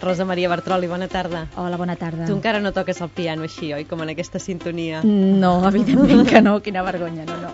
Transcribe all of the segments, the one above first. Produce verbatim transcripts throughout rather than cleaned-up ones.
Rosa Maria Bartroli, bona tarda. Hola, bona tarda. Tu encara no toques el piano així, oi? Com en aquesta sintonia. No, evidentment que no, quina vergonya, no, no.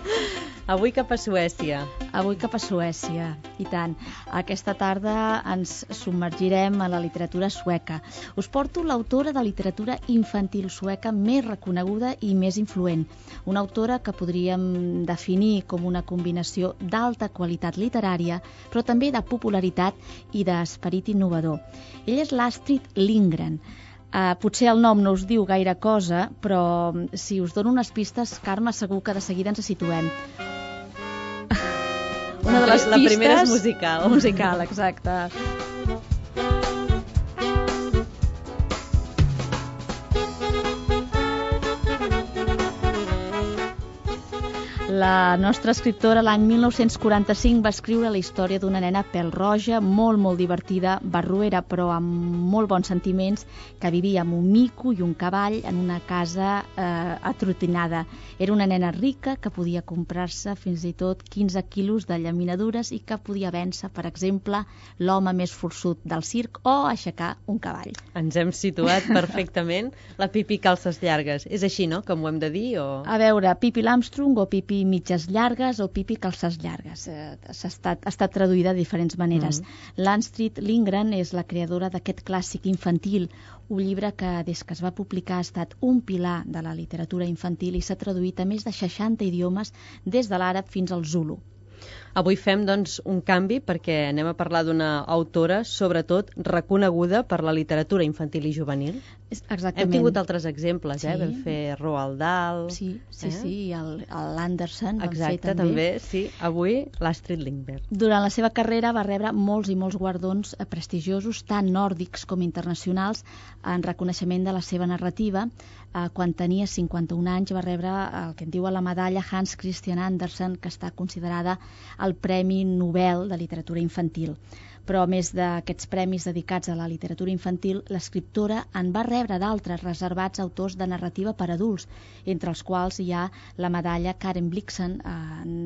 Avui cap a Suècia. Avui cap a Suècia, i tant. Aquesta tarda ens submergirem a la literatura sueca. Us porto l'autora de literatura infantil sueca més reconeguda i més influent. Una autora que podríem definir com una combinació d'alta qualitat literària, però també de popularitat i d'esperit innovador. Ella és l'Astrid Lindgren. Uh, potser el nom no us diu gaire cosa, però si us dono unes pistes, Carme, segur que de seguida ens situem. Una de les la pistes... primera és musical. Musical, exacte. La nostra escriptora l'any mil nou-cents quaranta-cinc va escriure la història d'una nena pèl-roja, molt, molt divertida, barruera, però amb molt bons sentiments, que vivia amb un mico i un cavall en una casa eh, atrotinada. Era una nena rica que podia comprar-se fins i tot quinze quilos de llaminadures i que podia vèncer, per exemple, l'home més forçut del circ o aixecar un cavall. Ens hem situat perfectament. La Pipi calces llargues. És així, no?, com ho hem de dir? O... A veure, Pipi l'Armstrong o Pipi mitges llargues o Pipi calces llargues. Eh, ha, estat, ha estat traduïda de diferents maneres. Mm. L'Astrid Lindgren és la creadora d'aquest clàssic infantil, un llibre que des que es va publicar ha estat un pilar de la literatura infantil i s'ha traduït a més de seixanta idiomes des de l'àrab fins al zulu. Avui fem, doncs, un canvi perquè anem a parlar d'una autora, sobretot, reconeguda per la literatura infantil i juvenil. Exactament. Hem tingut altres exemples, sí. eh? Vam fer Roald Dahl... Sí, sí, eh? sí, i l'Anderson vam Exacte, fer també. també, sí. Avui, l'Astrid Lindgren. Durant la seva carrera va rebre molts i molts guardons prestigiosos, tant nòrdics com internacionals, en reconeixement de la seva narrativa. Quan tenia cinquanta-un anys va rebre el que en diu la medalla Hans Christian Andersen, que està considerada el Premi Nobel de Literatura Infantil. Però a més d'aquests premis dedicats a la literatura infantil, l'escriptora en va rebre d'altres reservats a autors de narrativa per adults, entre els quals hi ha la medalla Karen Blixen eh,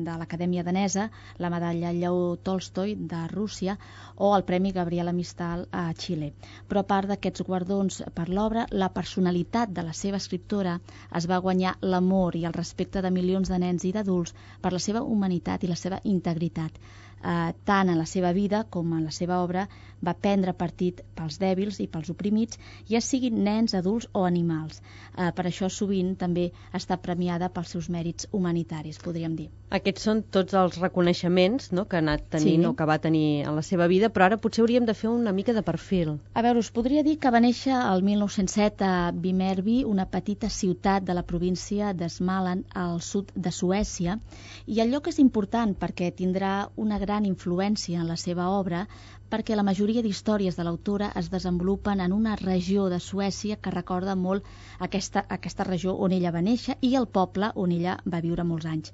de l'Acadèmia Danesa, la medalla Lleó Tolstoi de Rússia o el Premi Gabriela Mistral a Xile. Però a part d'aquests guardons per l'obra, la personalitat de la seva escriptora es va guanyar l'amor i el respecte de milions de nens i d'adults per la seva humanitat i la seva integritat. Uh, tant en la seva vida com en la seva obra va prendre partit pels dèbils i pels oprimits, ja siguin nens, adults o animals. Uh, per això sovint també està premiada pels seus mèrits humanitaris, podríem dir. Aquests són tots els reconeixements, no?, que ha anat tenint, sí, o que va tenir en la seva vida, però ara potser hauríem de fer una mica de perfil. A veure, us podria dir que va néixer el mil nou-cents set a Vimmerby, una petita ciutat de la província de Småland, al sud de Suècia, i el lloc és important perquè tindrà una gran gran influència en la seva obra, perquè la majoria d'històries de l'autora es desenvolupen en una regió de Suècia que recorda molt aquesta, aquesta regió on ella va néixer i el poble on ella va viure molts anys.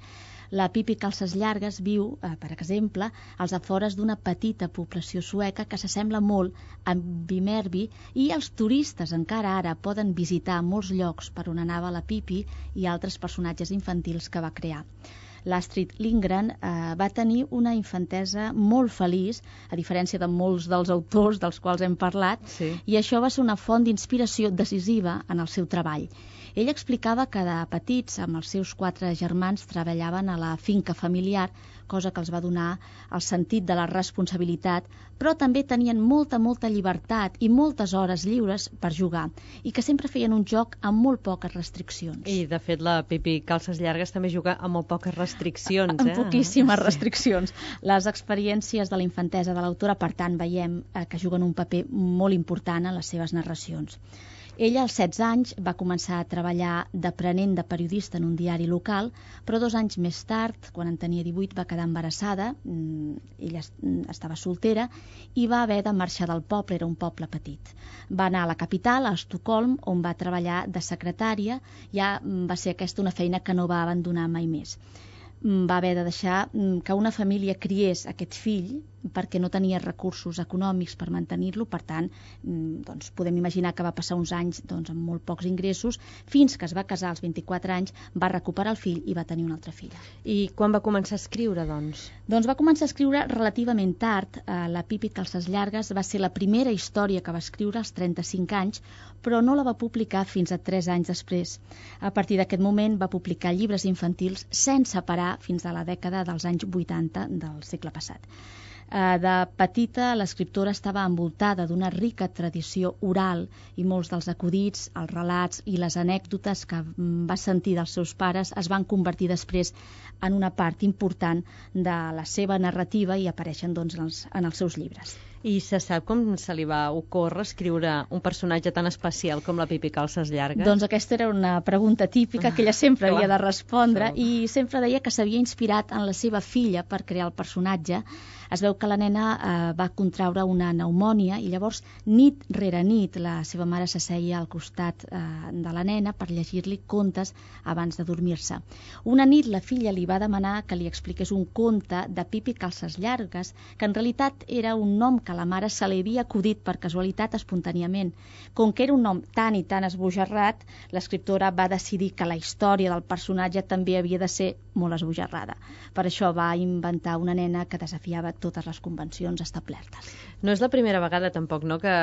La Pipi calces llargues viu, eh, per exemple, als afores d'una petita població sueca que s'assembla molt a Vimmerby, i els turistes encara ara poden visitar molts llocs per on anava la Pipi i altres personatges infantils que va crear. L'Astrid Lindgren eh, va tenir una infantesa molt feliç, a diferència de molts dels autors dels quals hem parlat, sí. I això va ser una font d'inspiració decisiva en el seu treball. Ell explicava que de petits, amb els seus quatre germans, treballaven a la finca familiar, cosa que els va donar el sentit de la responsabilitat, però també tenien molta, molta llibertat i moltes hores lliures per jugar, i que sempre feien un joc amb molt poques restriccions. I, de fet, la Pipi calces llargues també juga amb molt poques restriccions, eh? Amb poquíssimes restriccions. Les experiències de la infantesa de l'autora, per tant, veiem eh, que juguen un paper molt important en les seves narracions. Ella, als setze anys, va començar a treballar d'aprenent de periodista en un diari local, però dos anys més tard, quan en tenia divuit, va quedar embarassada, ella estava soltera, i va haver de marxar del poble, era un poble petit. Va anar a la capital, a Estocolm, on va treballar de secretària, ja va ser aquesta una feina que no va abandonar mai més. Va haver de deixar que una família criés aquest fill, perquè no tenia recursos econòmics per mantenir-lo, per tant, doncs, podem imaginar que va passar uns anys doncs, amb molt pocs ingressos, fins que es va casar als vint-i-quatre anys, va recuperar el fill i va tenir una altra filla. I quan va començar a escriure, doncs? Doncs va començar a escriure relativament tard. La Pipi Calces Llargues va ser la primera història que va escriure als trenta-cinc anys, però no la va publicar fins a tres anys després. A partir d'aquest moment va publicar llibres infantils sense parar fins a la dècada dels anys vuitanta del segle passat. De petita, l'escriptora estava envoltada d'una rica tradició oral i molts dels acudits, els relats i les anècdotes que va sentir dels seus pares es van convertir després en una part important de la seva narrativa i apareixen doncs, en, els, en els seus llibres. I se sap com se li va ocórrer escriure un personatge tan especial com la Pipi Calces Llargues? Doncs aquesta era una pregunta típica que ella sempre havia de respondre i sempre deia que s'havia inspirat en la seva filla per crear el personatge. Es veu que la nena eh, va contraure una pneumònia i llavors nit rere nit la seva mare s'asseia al costat eh, de la nena per llegir-li contes abans de dormir-se. Una nit la filla li va demanar que li expliqués un conte de Pipi Calces Llargues, que en realitat era un nom que la mare se li havia acudit per casualitat espontàniament. Com que era un nom tan i tan esbojarrat, l'escriptora va decidir que la història del personatge també havia de ser molt esbojarrada. Per això va inventar una nena que desafiava totes les convencions establertes. No és la primera vegada tampoc, no?, que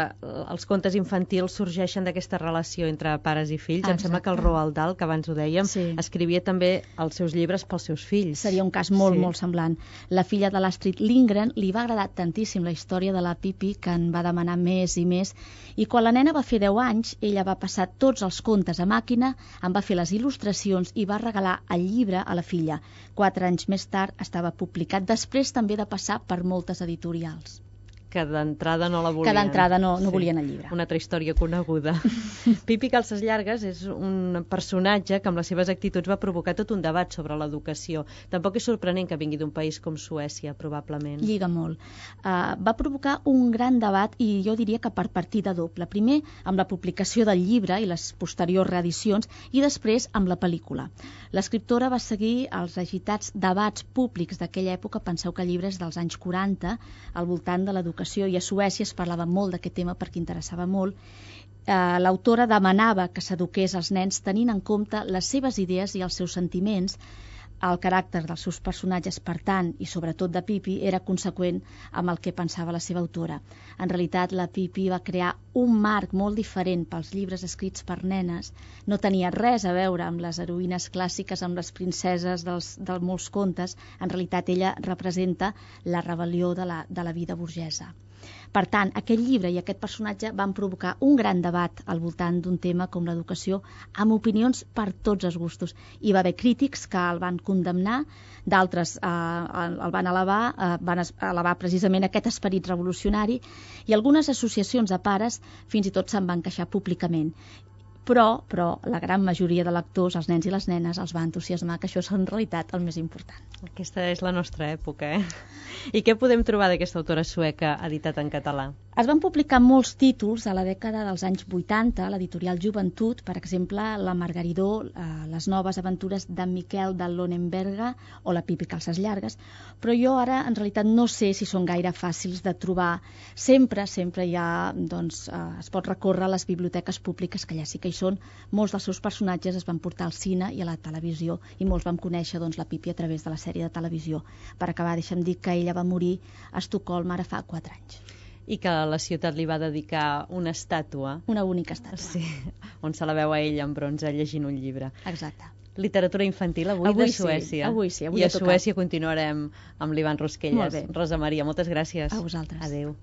els contes infantils sorgeixen d'aquesta relació entre pares i fills. Exacte. Em sembla que el Roald Dahl, que abans ho dèiem, sí, escrivia també els seus llibres pels seus fills. Seria un cas molt, sí, molt semblant. La filla de l'Astrid Lindgren li va agradar tantíssim la història de la Pipi que en va demanar més i més, i quan la nena va fer deu anys, ella va passar tots els contes a màquina, en va fer les il·lustracions i va regalar el llibre a la filla. Quatre anys més tard estava publicat, després també de passar per moltes editorials. Que d'entrada no la volien. Que d'entrada no, no sí, volien el llibre. Una altra història coneguda. Pipi Calces Llargues és un personatge que amb les seves actituds va provocar tot un debat sobre l'educació. Tampoc és sorprenent que vingui d'un país com Suècia, probablement. Lliga molt. Uh, va provocar un gran debat i jo diria que per partida doble. Primer amb la publicació del llibre i les posteriors reedicions i després amb la pel·lícula. L'escriptora va seguir els agitats debats públics d'aquella època. Penseu que el llibre és dels anys quaranta, al voltant de l'educació, i a Suècia es parlava molt d'aquest tema perquè interessava molt. Eh, l'autora demanava que s'eduqués als nens tenint en compte les seves idees i els seus sentiments. El caràcter dels seus personatges, per tant, i sobretot de Pipi, era conseqüent amb el que pensava la seva autora. En realitat, la Pipi va crear un marc molt diferent pels llibres escrits per nenes. No tenia res a veure amb les heroïnes clàssiques, amb les princeses dels, de molts contes. En realitat, ella representa la rebel·lió de la, de la vida burgesa. Per tant, aquest llibre i aquest personatge van provocar un gran debat al voltant d'un tema com l'educació, amb opinions per tots els gustos. Hi va haver crítics que el van condemnar, d'altres eh, el van elevar, eh, van elevar precisament aquest esperit revolucionari, i algunes associacions de pares fins i tot se'n van queixar públicament. Però, però la gran majoria de lectors, els nens i les nenes, els va entusiasmar, que això és en realitat el més important. Aquesta és la nostra època, eh? I què podem trobar d'aquesta autora sueca editat en català? Es van publicar molts títols a la dècada dels anys vuitanta, a l'editorial Joventut, per exemple, La Margaridó, eh, Les noves aventures d'en Miquel de Lonenberga o La Pipi Calces Llargues, però jo ara en realitat no sé si són gaire fàcils de trobar. Sempre, sempre hi ha, doncs, eh, es pot recórrer a les biblioteques públiques, que allà sí que hi són. Molts dels seus personatges es van portar al cine i a la televisió, i molts vam conèixer doncs, la Pipi a través de la sèrie de televisió. Per acabar, deixa'm dir que ella va morir a Estocolm ara fa quatre anys. I que la ciutat li va dedicar una estàtua. Una única estàtua. Sí, on se la veu a ella en bronze llegint un llibre. Exacte. Literatura infantil avui, avui de Suècia. Sí, avui sí, avui I a Suècia continuarem amb l'Ivan Rosquelles. Rosa Maria, moltes gràcies. A vosaltres. Adéu.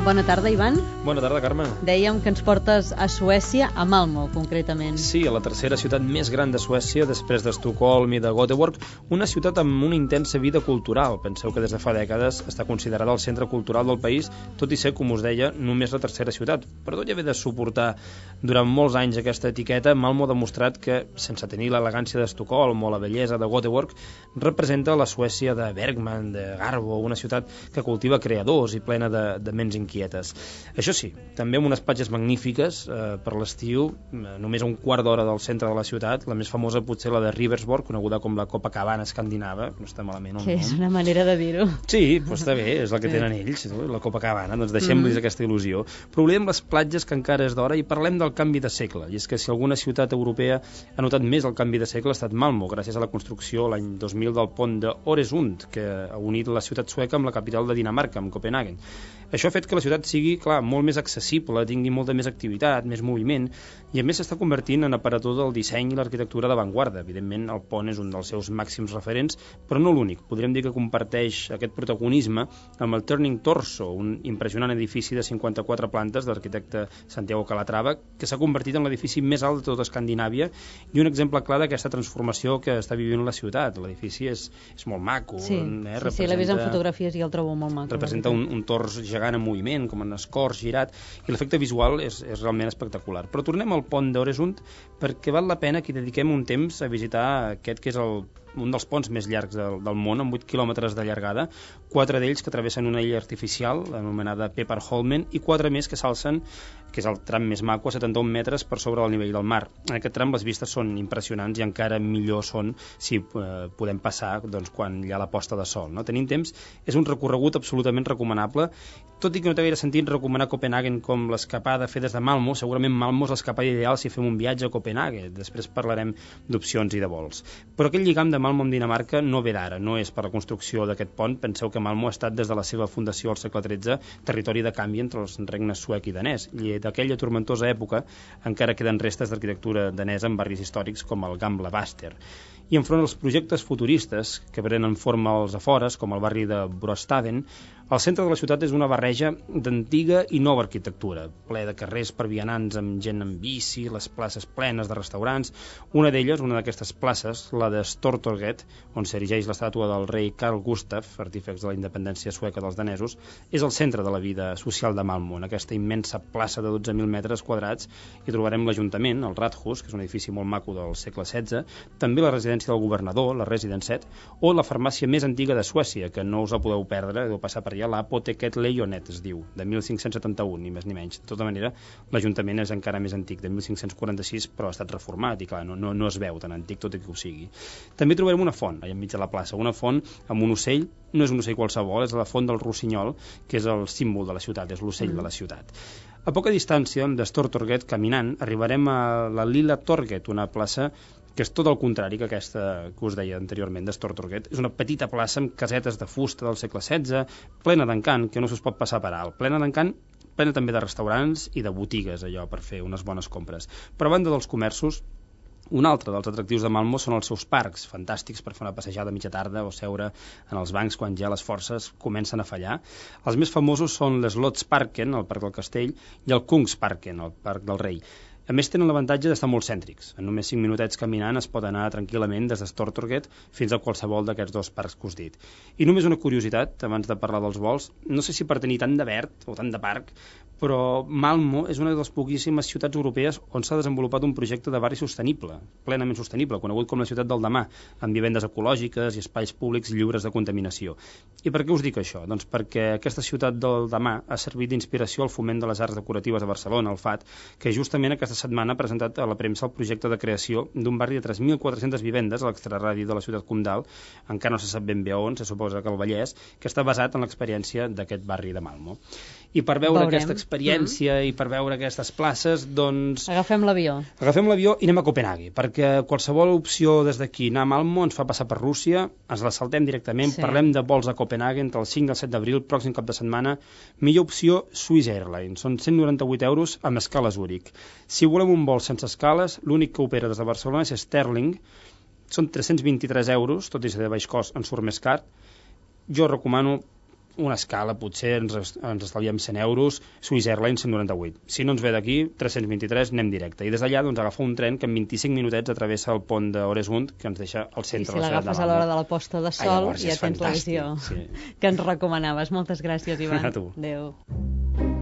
Bona tarda, Ivan. Bona tarda, Carme. Dèiem que ens portes a Suècia, a Malmö, concretament. Sí, a la tercera ciutat més gran de Suècia, després d'Estocolm i de Göteborg, una ciutat amb una intensa vida cultural. Penseu que des de fa dècades està considerada el centre cultural del país, tot i ser, com us deia, només la tercera ciutat. Però tot i haver de suportar durant molts anys aquesta etiqueta, Malmö ha demostrat que, sense tenir l'elegància d'Estocolm o la bellesa de Göteborg, representa la Suècia de Bergman, de Garbo, una ciutat que cultiva creadors i plena de, de ments inquietes. Això sí, també amb unes platges magnífiques eh, per l'estiu, eh, només a un quart d'hora del centre de la ciutat, la més famosa potser la de Riversborg, coneguda com la Copacabana escandinava, no està malament el que nom. És una manera de dir-ho. Sí, doncs està bé, és la que tenen ells, la Copacabana, doncs deixem-los mm. aquesta il·lusió. Però oblidem les platges, que encara és d'hora, i parlem del canvi de segle. I és que si alguna ciutat europea ha notat més el canvi de segle ha estat Malmö, gràcies a la construcció l'any dos mil del pont de Øresund, que ha unit la ciutat sueca amb la capital de Dinamarca, amb Copenhagen. Això ha fet que la ciutat sigui, clar, molt més accessible, tingui molta més activitat, més moviment, i a més s'està convertint en aparador del disseny i l'arquitectura d'avantguarda. Evidentment, el pont és un dels seus màxims referents, però no l'únic. Podríem dir que comparteix aquest protagonisme amb el Turning Torso, un impressionant edifici de cinquanta-quatre plantes de l'arquitecte Santiago Calatrava, que s'ha convertit en l'edifici més alt de tota Escandinàvia i un exemple clar d'aquesta transformació que està vivint la ciutat. L'edifici és, és molt maco. Sí, eh? sí, sí, l'he vist en fotografies i el trobo molt maco. Representa un, un tors gegant en moviment, com en escorç girat, i l'efecte visual és, és realment espectacular. Però tornem al pont d'Øresund, perquè val la pena que dediquem un temps a visitar aquest que és el, un dels ponts més llargs del, del món, amb vuit quilòmetres de llargada, quatre d'ells que travessen una illa artificial anomenada Pepperholmen i quatre més que s'alcen, que és el tram més maco, a setanta-un metres per sobre del nivell del mar. En aquest tram les vistes són impressionants i encara millor són si eh, podem passar doncs, quan hi ha la posta de sol. No? Tenim temps, és un recorregut absolutament recomanable, tot i que no té gaire sentit recomanar Copenhagen com l'escapada a fer des de Malmö. Segurament Malmö és l'escapada ideal si fem un viatge a Copenhagen, després parlarem d'opcions i de vols. Però aquest lligam de Malmö amb Dinamarca no ve d'ara, no és per la construcció d'aquest pont. Penseu que Malmö ha estat des de la seva fundació al segle tretze territori de canvi entre els regnes suec i danès, i d'aquella tormentosa època encara queden restes d'arquitectura danesa en barris històrics com el Gamla Baster. I enfront als projectes futuristes que prenen forma als afores, com el barri de Brostaden, el centre de la ciutat és una barreja d'antiga i nova arquitectura, ple de carrers per vianants amb gent en bici, les places plenes de restaurants. Una d'elles, una d'aquestes places, la de Stortorget, on s'erigeix l'estàtua del rei Carl Gustaf, artífex de la independència sueca dels danesos, és el centre de la vida social de Malmö. En aquesta immensa plaça de dotze mil metres quadrats hi trobarem l'Ajuntament, el Rathus, que és un edifici molt maco del segle setze, també la residència del governador, la Residenset, o la farmàcia més antiga de Suècia, que no us la podeu perdre, deu passar per allà, l'Apoteket Lejonet es diu, de mil cinc-cents setanta-un, ni més ni menys. De tota manera, l'Ajuntament és encara més antic, de mil cinc-cents quaranta-sis, però ha estat reformat i clar, no, no, no es veu tan antic tot i que ho sigui. També trobarem una font, allà enmig de la plaça, una font amb un ocell, no és un ocell qualsevol, és la font del Rossinyol, que és el símbol de la ciutat, és l'ocell mm. de la ciutat. A poca distància, de Stortorget, caminant, arribarem a la Lilla Torget, una plaça que és tot el contrari que aquesta que us deia anteriorment de Stortorget. És una petita plaça amb casetes de fusta del segle setze, plena d'encant, que no s'us pot passar per alt. Plena d'encant, plena també de restaurants i de botigues, allò, per fer unes bones compres. Però a banda dels comerços, un altre dels atractius de Malmö són els seus parcs, fantàstics per fer una passejada a mitja tarda o seure en els bancs quan ja les forces comencen a fallar. Els més famosos són l'Slottsparken, el Parc del Castell, i el Kungsparken, el Parc del Rei. A més, tenen l'avantatge d'estar molt cèntrics. En només cinc minutets caminant es pot anar tranquil·lament des de Stortorget fins a qualsevol d'aquests dos parcs que us dit. I només una curiositat, abans de parlar dels vols, no sé si per tenir tant de verd o tant de parc, però Malmö és una de les poquíssimes ciutats europees on s'ha desenvolupat un projecte de barri sostenible, plenament sostenible, conegut com la ciutat del demà, amb vivendes ecològiques i espais públics lliures de contaminació. I per què us dic això? Doncs perquè aquesta ciutat del demà ha servit d'inspiració al foment de les arts decoratives a Barcelona, el F A T, que justament aquesta setmana ha presentat a la premsa el projecte de creació d'un barri de tres mil quatre-centes vivendes a l'extraradi de la ciutat comtal, encara no se sap ben bé on, se suposa que al Vallès, que està basat en l'experiència d'aquest barri de Malmö. I per veure Veurem. aquesta experiència mm-hmm. i per veure aquestes places, doncs... Agafem l'avió. Agafem l'avió i anem a Copenhague, perquè qualsevol opció des d'aquí anar a Malmö ens fa passar per Rússia, ens la saltem directament, sí. Parlem de vols a Copenhague entre el cinc i el set d'abril, pròxim cap de setmana. Millor opció, Swiss Airlines, són cent noranta-vuit euros amb escala a Zúrich. Si volem un vol sense escales, l'únic que opera des de Barcelona és Sterling, són tres-cents vint-i-tres euros, tot i ser de baix cost, en surt més car. Jo recomano una escala, potser ens, ens estalviem cent euros, Swiss Airlines cent noranta-vuit. Si no ens ve d'aquí, tres-cents vint-i-tres, anem directe. I des d'allà doncs, agafar un tren que en vint-i-cinc minutets atravessa el pont d'Oresund, que ens deixa al centre de la ciutat de Malmö. I si l'agafes a l'hora de la posta de sol, ah, llavors, ja tens la visió sí. que ens recomanaves. Moltes gràcies, Ivan. A tu. Adéu.